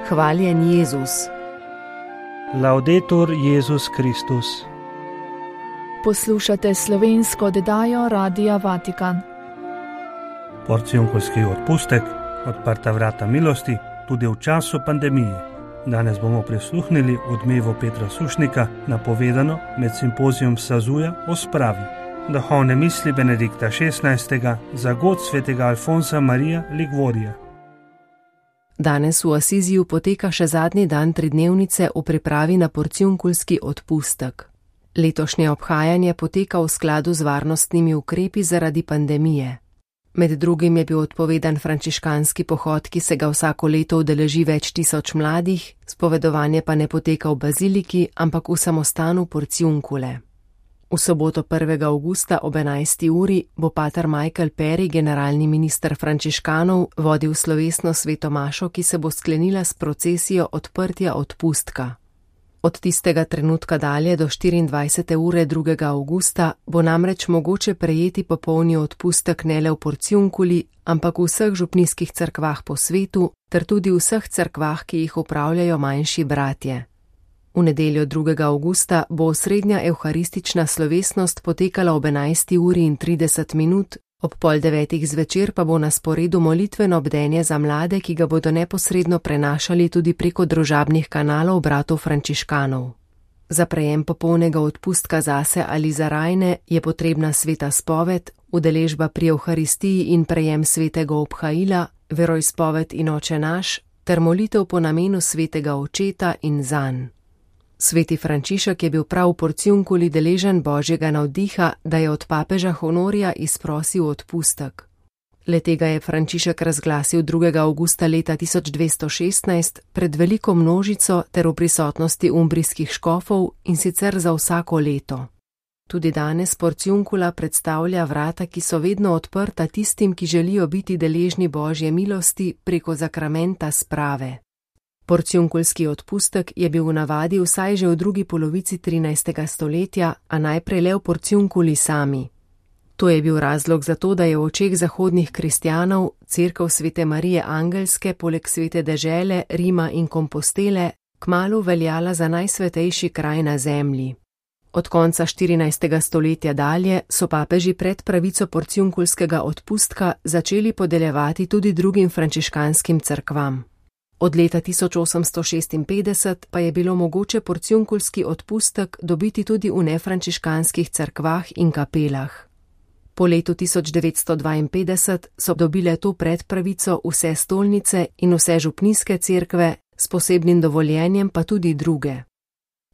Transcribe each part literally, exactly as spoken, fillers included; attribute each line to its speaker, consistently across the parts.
Speaker 1: Hvaljen Jezus.
Speaker 2: Laudetur Jezus Kristus.
Speaker 3: Poslušate slovensko oddajo Radia Vatikan.
Speaker 2: Porcijunkovski odpustek, odprta vrata milosti, tudi v času pandemije. Danes bomo prisluhnili odmevu Petra Sušnika, napovedano med simpozijom Sazuja o spravi. Duhovne misli Benedikta šestnajstega za god svetega Alfonsa Marija Ligvorija.
Speaker 1: Danes v Asiziju poteka še zadnji dan tridnevnice v pripravi na porcijunkulski odpustek. Letošnje obhajanje poteka v skladu z varnostnimi ukrepi zaradi pandemije. Med drugim je bil odpovedan frančiškanski pohod, ki se ga vsako leto udeleži več tisoč mladih, spovedovanje pa ne poteka v baziliki, ampak v samostanu Porcijunkule. V soboto prvega avgusta ob enajsti uri bo pater Michael Perry, generalni minister frančiškanov, vodil slovesno sveto mašo, ki se bo sklenila s procesijo odprtja odpustka. Od tistega trenutka dalje do štiriindvajsete ure drugega avgusta bo namreč mogoče prejeti popolni odpustek ne le v Porcijunkuli, ampak v vseh župnijskih cerkvah po svetu, ter tudi v vseh cerkvah, ki jih upravljajo manjši bratje. V nedeljo drugega avgusta bo osrednja evharistična slovesnost potekala ob enajsti uri in trideset minut, ob pol devetih zvečer pa bo na sporedu molitveno bdenje za mlade, ki ga bodo neposredno prenašali tudi preko družabnih kanalov bratov frančiškanov. Za prejem popolnega odpustka zase ali za rajne je potrebna sveta spoved, udeležba pri evharistiji in prejem svetega obhaila, veroizpoved in oče naš, ter molitev po namenu svetega očeta in zanj. Sveti Frančišek je bil prav v Porcijunkuli deležen božjega navdiha, da je od papeža Honorija izprosil odpustek. Le-tega je Frančišek razglasil drugega avgusta leta tisoč dvesto šestnajst pred veliko množico ter v prisotnosti umbrijskih škofov, in sicer za vsako leto. Tudi danes Porcijunkula predstavlja vrata, ki so vedno odprta tistim, ki želijo biti deležni božje milosti preko zakramenta sprave. Porcijunkulski odpustek je bil v navadi vsaj že v drugi polovici trinajstega stoletja, a najprej le v Porcijunkuli sami. To je bil razlog za to, da je v očeh zahodnih kristjanov cerkev svete Marije Angelske poleg svete dežele, Rima in Kompostele kmalu veljala za najsvetejši kraj na zemlji. Od konca štirinajstega stoletja dalje so papeži pred pravico porcijunkulskega odpustka začeli podeljevati tudi drugim frančiškanskim cerkvam. Od leta tisoč osemsto šestinpetdeset pa je bilo mogoče porcijunkulski odpustek dobiti tudi v nefrančiškanskih cerkvah in kapelah. Po letu tisoč devetsto dvainpetdeset so dobile to predpravico vse stolnice in vse župnijske cerkve, s posebnim dovoljenjem pa tudi druge.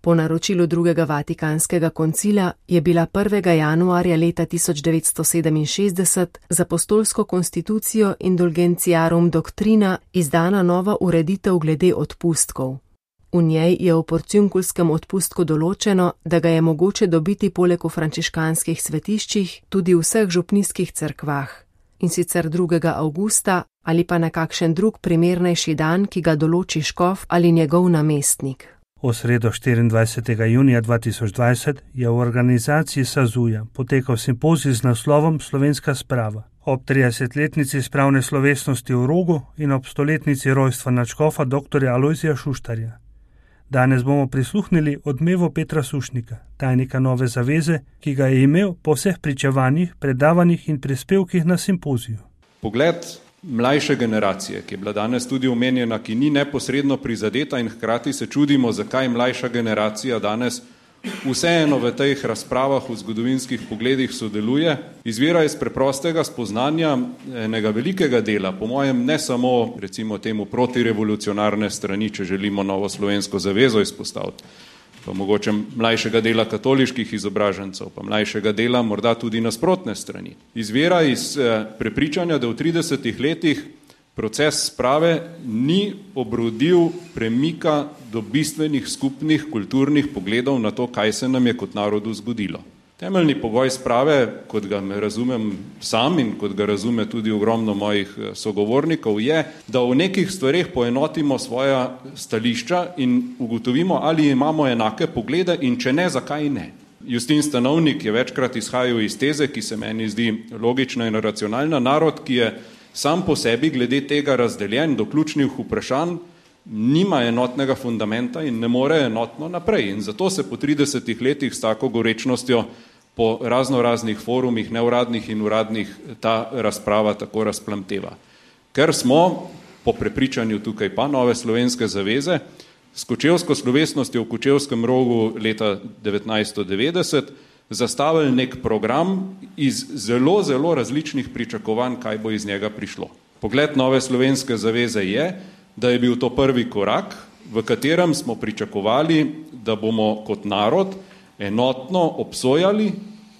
Speaker 1: Po naročilu drugega Vatikanskega koncila je bila prvega januarja leta tisoč devetsto sedeminšestdeset z apostolsko konstitucijo Indulgentiarum Doctrina izdana nova ureditev glede odpustkov. V njej je v porcijunkulskem odpustku določeno, da ga je mogoče dobiti poleg v frančiškanskih svetiščih tudi v vseh župnijskih cerkvah, in sicer drugega avgusta ali pa na kakšen drug primernejši dan, ki ga določi škof ali njegov namestnik.
Speaker 2: V sredo štiriindvajsetega junija dva tisoč dvajset je v organizaciji Sazuja potekal simpozij z naslovom Slovenska sprava. Ob tridesetletnici spravne slovesnosti v Rogu in ob stoletnici rojstva nadškofa dr. Alojzija Šuštarja. Danes bomo prisluhnili odmevu Petra Sušnika, tajnika Nove zaveze, ki ga je imel po vseh pričevanjih, predavanjih in prispevkih na simpoziju.
Speaker 4: Pogled mlajše generacije, ki je bila danes tudi omenjena, ki ni neposredno prizadeta, in hkrati se čudimo, zakaj mlajša generacija danes vseeno v teh razpravah v zgodovinskih pogledih sodeluje, izvira iz preprostega spoznanja enega velikega dela, po mojem ne samo recimo temu protirevolucionarne strani, če želimo novo slovensko zavezo izpostaviti, pa mogoče mlajšega dela katoliških izobražencev, pa mlajšega dela morda tudi nasprotne strani. Izvira iz eh, prepričanja, da v tridesetih letih proces sprave ni obrodil premika do bistvenih skupnih kulturnih pogledov na to, kaj se nam je kot narodu zgodilo. Temeljni pogoj sprave, kot ga razumem sam in kot ga razume tudi ogromno mojih sogovornikov, je, da v nekih stvareh poenotimo svoja stališča in ugotovimo, ali imamo enake poglede in če ne, zakaj ne. Justin Stanovnik je večkrat izhajal iz teze, ki se meni zdi logična in racionalna. Narod, ki je sam po sebi glede tega razdeljen do ključnih vprašanj, nima enotnega fundamenta in ne more enotno naprej. In zato se po tridesetih letih s tako gorečnostjo po razno raznih forumih, neuradnih in uradnih, ta razprava tako razplamteva. Ker smo, po prepričanju tukaj pa Nove slovenske zaveze, s kočevsko slovesnostjo v Kočevskem rogu leta devetnajststo devetdeset zastavili nek program iz zelo, zelo različnih pričakovanj, kaj bo iz njega prišlo. Pogled Nove slovenske zaveze je, da je bil to prvi korak, v katerem smo pričakovali, da bomo kot narod enotno obsojali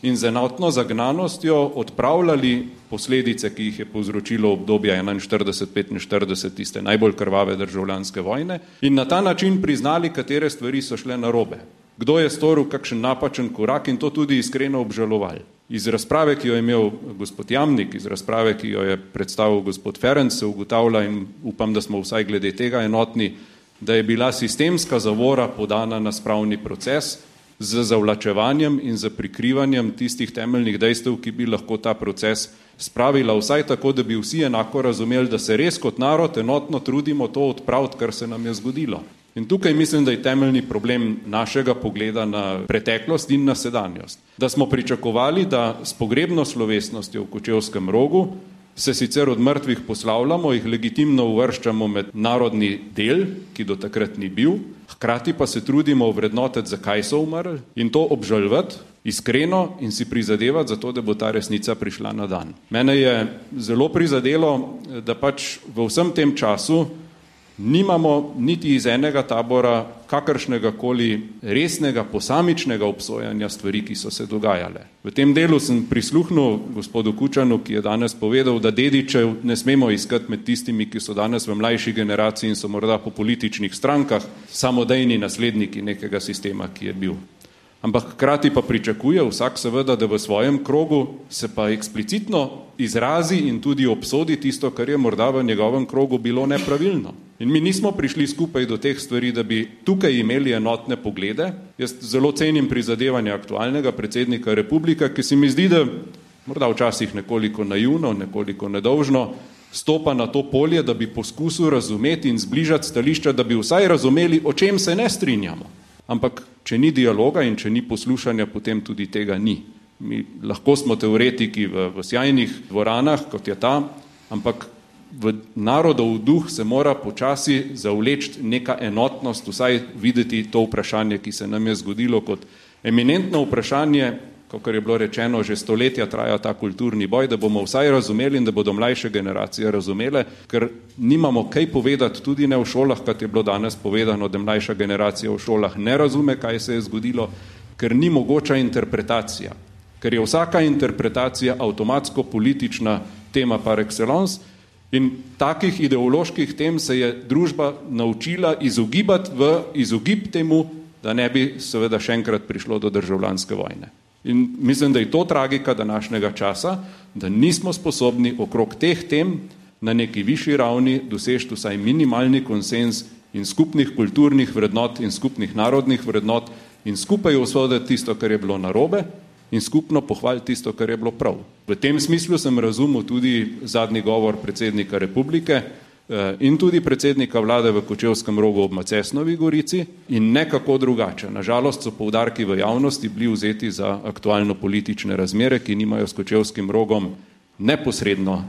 Speaker 4: in z enotno zagnanostjo odpravljali posledice, ki jih je povzročilo obdobje enainštirideset petinštirideset, tiste najbolj krvave državljanske vojne, in na ta način priznali, katere stvari so šle narobe. Kdo je storil kakšen napačen korak in to tudi iskreno obžalovali. Iz razprave, ki jo je imel gospod Jamnik, iz razprave, ki jo je predstavil gospod Ferenc, se ugotavlja in upam, da smo vsaj glede tega enotni, da je bila sistemska zavora podana na spravni proces z zavlačevanjem in z prikrivanjem tistih temeljnih dejstev, ki bi lahko ta proces spravila vsaj tako, da bi vsi enako razumeli, da se res kot narod enotno trudimo to odpraviti, kar se nam je zgodilo. In tukaj mislim, da je temeljni problem našega pogleda na preteklost in na sedanjost. Da smo pričakovali, da s pogrebno slovesnostjo v Kočevskem rogu se sicer od mrtvih poslavljamo, jih legitimno uvrščamo med narodni del, ki do takrat ni bil, hkrati pa se trudimo ovrednotiti, zakaj so umrli in to obžalovati iskreno in si prizadevati za to, da bo ta resnica prišla na dan. Mene je zelo prizadelo, da pač v vsem tem času nimamo niti iz enega tabora kakršnega koli resnega posamičnega obsojanja stvari, ki so se dogajale. V tem delu sem prisluhnil gospodu Kučanu, ki je danes povedal, da dedičev ne smemo iskati med tistimi, ki so danes v mlajši generaciji in so morda po političnih strankah samodejni nasledniki nekega sistema, ki je bil. Ampak hkrati pa pričakuje vsak seveda, da v svojem krogu se pa eksplicitno izrazi in tudi obsodi tisto, kar je morda v njegovem krogu bilo nepravilno. In mi nismo prišli skupaj do teh stvari, da bi tukaj imeli enotne poglede. Jaz zelo cenim prizadevanja aktualnega predsednika republike, ki se mi zdi, da morda včasih nekoliko naivno, nekoliko nedolžno, stopa na to polje, da bi poskusil razumeti in zbližati stališča, da bi vsaj razumeli, o čem se ne strinjamo. Ampak, če ni dialoga in če ni poslušanja, potem tudi tega ni. Mi lahko smo teoretiki v, v sjajnih dvoranah, kot je ta, ampak v narodov duh se mora počasi zavleči neka enotnost, vsaj videti to vprašanje, ki se nam je zgodilo kot eminentno vprašanje, kakor je bilo rečeno, že stoletja traja ta kulturni boj, da bomo vsaj razumeli in da bodo mlajše generacije razumele, ker nimamo kaj povedati tudi ne v šolah, kot je bilo danes povedano, da mlajša generacija v šolah ne razume, kaj se je zgodilo, ker ni mogoča interpretacija, ker je vsaka interpretacija avtomatsko politična tema par excellence in takih ideoloških tem se je družba naučila izogibati v izogib temu, da ne bi seveda še enkrat prišlo do državljanske vojne. In mislim, da je to tragika današnjega časa, da nismo sposobni okrog teh tem na neki višji ravni doseči vsaj minimalni konsens in skupnih kulturnih vrednot in skupnih narodnih vrednot in skupaj osoditi tisto, kar je bilo narobe in skupno pohvaliti tisto, kar je bilo prav. V tem smislu sem razumel tudi zadnji govor predsednika republike in tudi predsednika vlade v Kočevskem rogu ob Macesnovi Gorici in nekako drugače. Nažalost so poudarki v javnosti bili vzeti za aktualno politične razmere, ki nimajo s Kočevskim rogom neposredno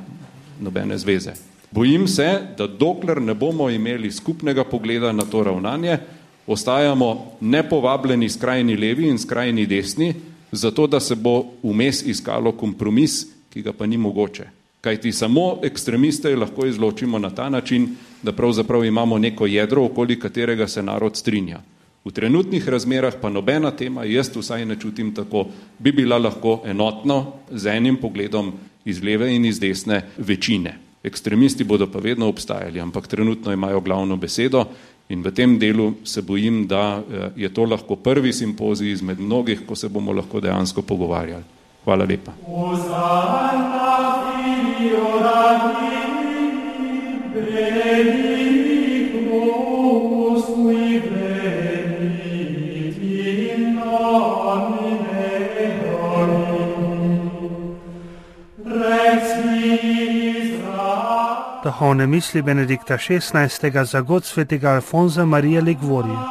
Speaker 4: nobene zveze. Bojim se, da dokler ne bomo imeli skupnega pogleda na to ravnanje, ostajamo nepovabljeni skrajni levi in skrajni desni, zato da se bo vmes iskalo kompromis, ki ga pa ni mogoče. Kajti samo ekstremiste lahko izločimo na ta način, da pravzaprav imamo neko jedro, okoli katerega se narod strinja. V trenutnih razmerah pa nobena tema, jaz vsaj ne čutim tako, bi bila lahko enotno z enim pogledom iz leve in iz desne večine. Ekstremisti bodo pa vedno obstajali, ampak trenutno imajo glavno besedo in v tem delu se bojim, da je to lahko prvi simpozij izmed mnogih, ko se bomo lahko dejansko pogovarjali. Hvala lepa.
Speaker 2: Da Duhovne misli Benedikta šestnajstega za god svetega Alfonza Marija Liguorija.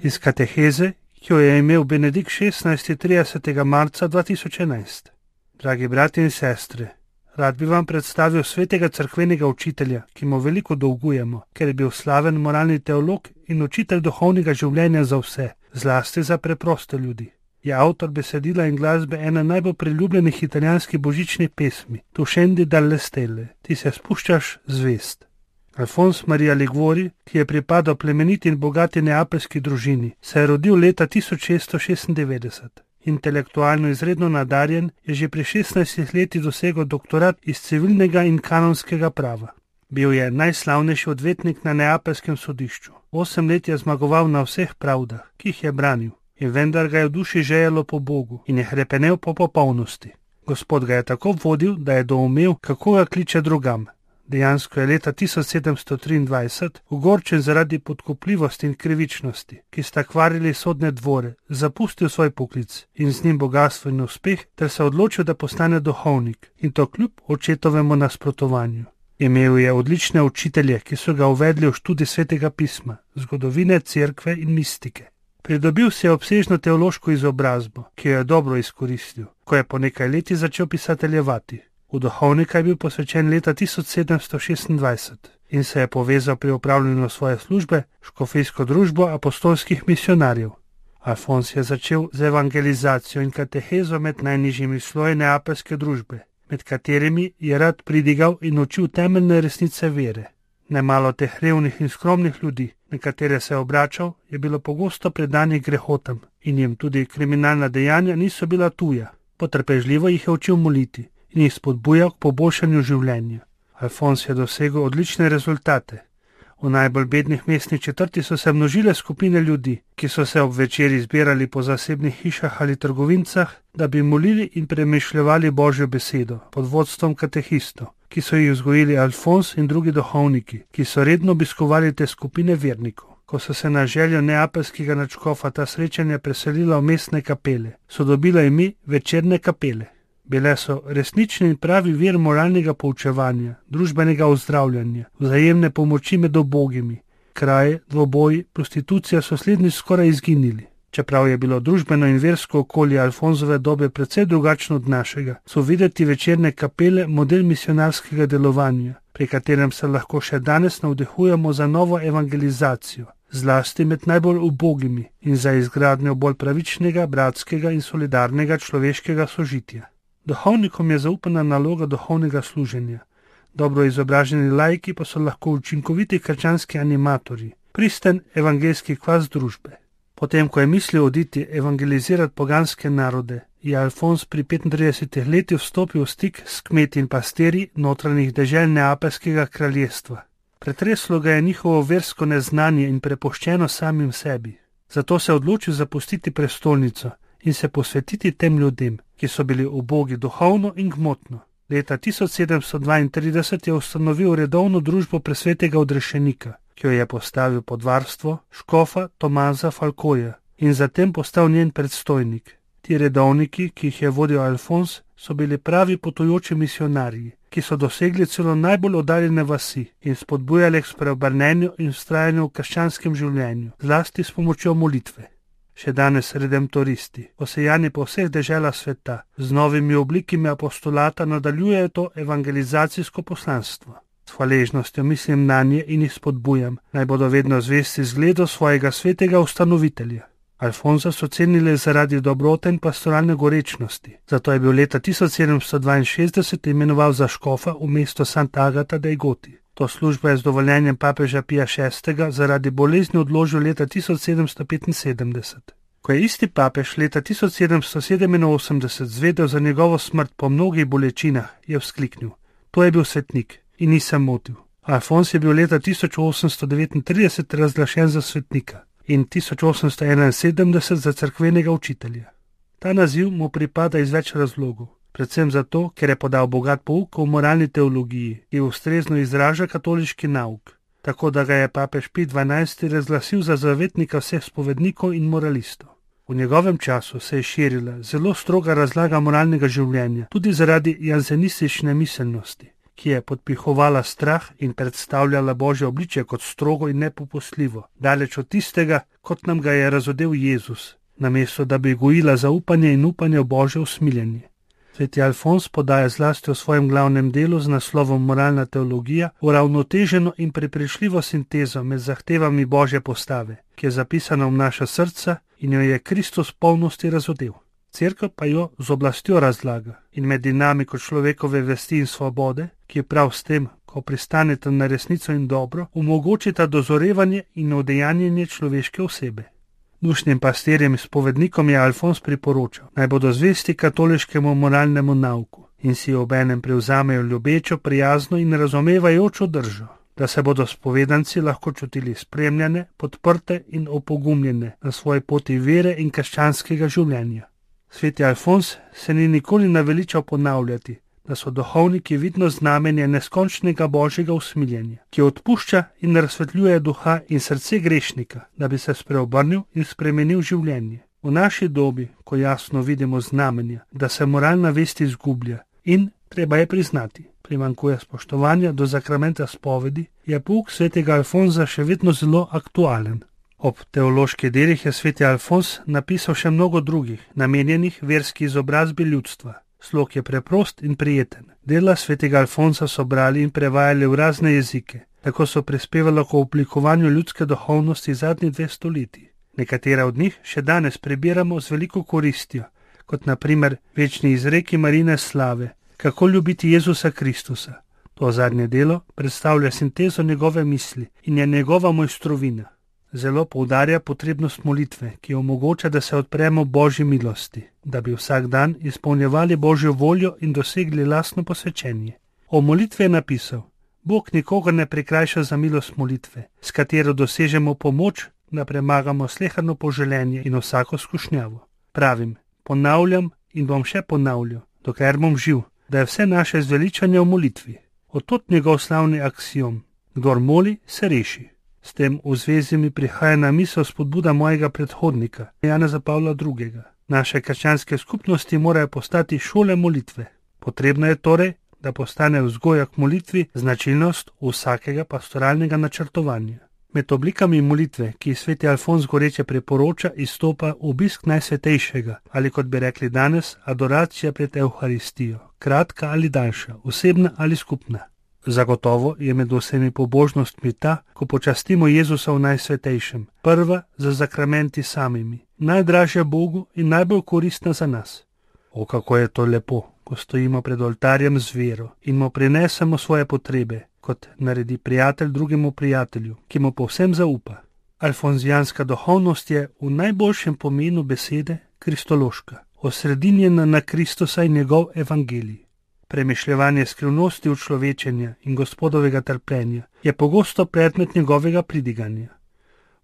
Speaker 2: Iz kateheze, ki jo je imel Benedikt šestnajsti tridesetega marca dva tisoč enajst. Dragi brati in sestre, rad bi vam predstavil svetega cerkvenega učitelja, ki mu veliko dolgujemo, ker je bil slaven moralni teolog in učitelj duhovnega življenja za vse, zlasti za preproste ljudi. Je avtor besedila in glasbe ene najbolj priljubljenih italijanskih božičnih pesmi, Tu scendi dalle stelle, ti se spuščaš zvest. Alfons Marija Liguori, ki je pripadal plemeniti in bogati neapeljski družini, se je rodil leta tisoč šeststo šestindevetdeset. Intelektualno izredno nadarjen, je že pri šestnajstih letih dosegel doktorat iz civilnega in kanonskega prava. Bil je najslavnejši odvetnik na neapeljskem sodišču. Osem let je zmagoval na vseh pravdah, ki jih je branil, in vendar ga je v duši žejelo po Bogu in je hrepenel po popolnosti. Gospod ga je tako vodil, da je doumel, kako ga kliče drugam. Dejansko je leta tisoč sedemsto triindvajset, ogorčen zaradi podkupljivosti in krivičnosti, ki sta kvarili sodne dvore, zapustil svoj poklic in z njim bogastvo in uspeh, ter se odločil, da postane duhovnik, in to kljub očetovemu nasprotovanju. Imel je odlične učitelje, ki so ga uvedli v študij svetega pisma, zgodovine, cerkve in mistike. Pridobil si je obsežno teološko izobrazbo, ki jo je dobro izkoristil, ko je po nekaj leti začel pisateljevati. V duhovnika je bil posvečen leta tisoč sedemsto šestindvajset in se je povezal pri opravljanju svoje službe škofijsko družbo apostolskih misionarjev. Alfons je začel z evangelizacijo in katehezo med najnižjimi sloji neapeljske družbe, med katerimi je rad pridigal in učil temeljne resnice vere. Nemalo teh revnih in skromnih ljudi, na katere se je obračal, je bilo pogosto predanih grehotam in jim tudi kriminalna dejanja niso bila tuja. Potrpežljivo jih je učil moliti in jih spodbujal k poboljšanju življenja. Alfons je dosegel odlične rezultate. V najbolj bednih mestnih četrti so se množile skupine ljudi, ki so se ob večeri zbirali po zasebnih hišah ali trgovincah, da bi molili in premišljevali Božjo besedo pod vodstvom katehistov, ki so jih vzgojili Alfons in drugi duhovniki, ki so redno obiskovali te skupine vernikov. Ko so se na željo neapeljskega nadškofa ta srečanja preselila v mestne kapele, so dobila ime večerne kapele. Bile so resnični in pravi vir moralnega poučevanja, družbenega ozdravljanja, vzajemne pomoči med ubogimi. Kraje, dvoboji, prostitucija so slednji skoraj izginili. Čeprav je bilo družbeno in versko okolje Alfonzove dobe precej drugačno od našega, so videti večerne kapele model misionarskega delovanja, pri katerem se lahko še danes navdihujemo za novo evangelizacijo, zlasti med najbolj ubogimi in za izgradnjo bolj pravičnega, bratskega in solidarnega človeškega sožitja. Duhovnikom je zaupana naloga duhovnega služenja. Dobro izobraženi laiki pa so lahko učinkoviti krščanski animatorji, pristen evangeljski kvas družbe. Potem, ko je mislil oditi evangelizirati poganske narode, je Alfons pri petintridesetih letih vstopil v stik s kmeti in pastirji notranjih dežel neapeljskega kraljestva. Pretreslo ga je njihovo versko neznanje in prepuščeno samim sebi. Zato se je odločil zapustiti prestolnico in se posvetiti tem ljudem, ki so bili ubogi duhovno in gmotno. Leta tisoč sedemsto dvaintrideset je ustanovil redovno družbo presvetega odrešenika, ki jo je postavil pod varstvo škofa Tomaza Falcoja in zatem postal njen predstojnik. Ti redovniki, ki jih je vodil Alfons, so bili pravi potujoči misionarji, ki so dosegli celo najbolj oddaljene vasi in spodbujali k spreobrnenju in vztrajanju v krščanskem življenju, zlasti s pomočjo molitve. Še danes redemptoristi, posejani po vseh deželah sveta, z novimi oblikami apostolata nadaljujejo to evangelizacijsko poslanstvo. S hvaležnostjo mislim nanje in jih spodbujam, naj bodo vedno zvesti zgledu svojega svetega ustanovitelja. Alfonza so cenili zaradi dobrote in pastoralne gorečnosti, zato je bil leta tisoč sedemsto dvainšestdeset imenoval za škofa v mesto Sant'Agata dei Goti. To službo je z dovoljenjem papeža Pija šestega zaradi bolezni odložil leta tisoč sedemsto petinsedemdeset. Ko je isti papež leta tisoč sedemsto sedeminosemdeset zvedel za njegovo smrt po mnogih bolečinah, je vzkliknil: to je bil svetnik in nisem motil. Alfons je bil leta tisoč osemsto devetintrideset razglašen za svetnika in tisoč osemsto enainsedemdeset za cerkvenega učitelja. Ta naziv mu pripada iz več razlogov. Predvsem zato, ker je podal bogat pouk o moralni teologiji, ki ustrezno izraža katoliški nauk, tako da ga je papež Pij dvanajsti razglasil za zavetnika vseh spovednikov in moralistov. V njegovem času se je širila zelo stroga razlaga moralnega življenja, tudi zaradi janzenistične miselnosti, ki je podpihovala strah in predstavljala Božje obličje kot strogo in nepopustljivo, daleč od tistega, kot nam ga je razodel Jezus, namesto da bi gojila zaupanje in upanje v Božje usmiljenje. Sveti Alfons podaja zlasti v svojem glavnem delu z naslovom Moralna teologija uravnoteženo in prepričljivo sintezo med zahtevami Božje postave, ki je zapisana v naša srca in jo je Kristus v polnosti razodel. Cerkev pa jo z oblastjo razlaga in med dinamiko človekove vesti in svobode, ki prav s tem, ko pristanete na resnico in dobro, omogočita dozorevanje in udejanjenje človeške osebe. Dušnim pastirjem in spovednikom je Alfons priporočal, naj bodo zvesti katoliškemu moralnemu nauku in si obenem prevzamejo ljubečo, prijazno in razumevajočo držo, da se bodo spovedanci lahko čutili spremljane, podprte in opogumljene na svoji poti vere in krščanskega življenja. Sveti Alfons se ni nikoli naveličal ponavljati, da so duhovniki vidno znamenje neskončnega Božjega usmiljenja, ki odpušča in razsvetljuje duha in srce grešnika, da bi se spreobrnil in spremenil življenje. V naši dobi, ko jasno vidimo znamenja, da se moralna vest izgublja in, treba je priznati, primanjkuje spoštovanja do zakramenta spovedi, je pouk svetega Alfonza še vedno zelo aktualen. Ob teoloških delih je sveti Alfons napisal še mnogo drugih, namenjenih verski izobrazbi ljudstva. Slog je preprost in prijeten. Dela svetega Alfonsa so brali in prevajali v razne jezike, tako so prispevali k oblikovanju ljudske duhovnosti zadnjih dve stoletji. Nekatera od njih še danes prebiramo z veliko koristjo, kot na primer večni izreki Marine slave, kako ljubiti Jezusa Kristusa. To zadnje delo predstavlja sintezo njegove misli in je njegova mojstrovina. Zelo poudarja potrebnost molitve, ki omogoča, da se odpremo Božji milosti, da bi vsak dan izpolnjevali Božjo voljo in dosegli lastno posvečenje. O molitvi je napisal: Bog nikogar ne prikrajša za milost molitve, s katero dosežemo pomoč, da premagamo sleherno poželenje in vsako skušnjavo. Pravim, ponavljam in bom še ponavljal, dokler bom živ, da je vse naše zveličanje v molitvi. Od njegov slavni aksiom: kdor moli, se reši. S tem v zvezi mi prihaja na misel spodbuda mojega predhodnika, Janeza Pavla drugega. Naše krščanske skupnosti morajo postati šole molitve. Potrebno je torej, da postane vzgoja k molitvi značilnost vsakega pastoralnega načrtovanja. Med oblikami molitve, ki jih sveti Alfons goreče priporoča, izstopa obisk najsvetejšega, ali kot bi rekli danes, adoracija pred Evharistijo, kratka ali daljša, osebna ali skupna. Zagotovo je med vsemi pobožnostmi ta, ko počastimo Jezusa v najsvetejšem, prva za zakramenti samimi, najdražja Bogu in najbolj koristna za nas. O, kako je to lepo, ko stojimo pred oltarjem z vero in mu prinesemo svoje potrebe, kot naredi prijatelj drugemu prijatelju, ki mu povsem zaupa. Alfonzijanska duhovnost je v najboljšem pomenu besede kristološka, osredinjena na Kristusa in njegov evangelij. Premišljevanje skrivnosti učlovečenja in Gospodovega trpljenja je pogosto predmet njegovega pridiganja.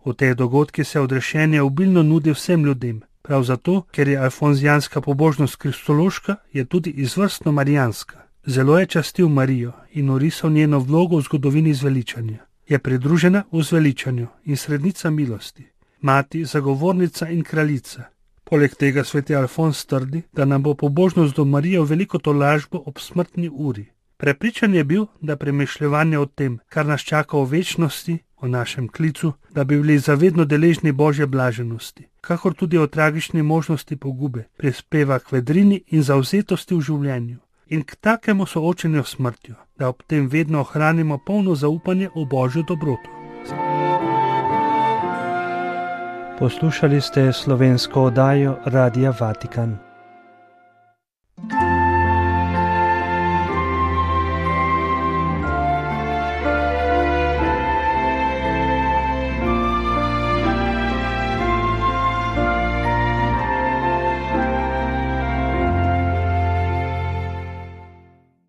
Speaker 2: V teh dogodkih se odrešenje obilno nudi vsem ljudem, prav zato, ker je alfonzijanska pobožnost kristološka, je tudi izvrstno marijanska. Zelo je častil Marijo in orisal njeno vlogo v zgodovini zveličanja. Je pridružena v zveličanju in srednica milosti, mati, zagovornica in kraljica. Poleg tega sveti Alfons trdi, da nam bo pobožnost do Marije v veliko tolažbo ob smrtni uri. Prepričan je bil, da premišljevanje o tem, kar nas čaka v večnosti, o našem klicu, da bi bili zavedno deležni Božje blaženosti, kakor tudi o tragični možnosti pogube, prispeva k vedrini in zavzetosti v življenju in k takemu soočenju s smrtjo, da ob tem vedno ohranimo polno zaupanje v Božjo dobroto.
Speaker 5: Poslušali ste slovensko oddajo Radia Vatikan.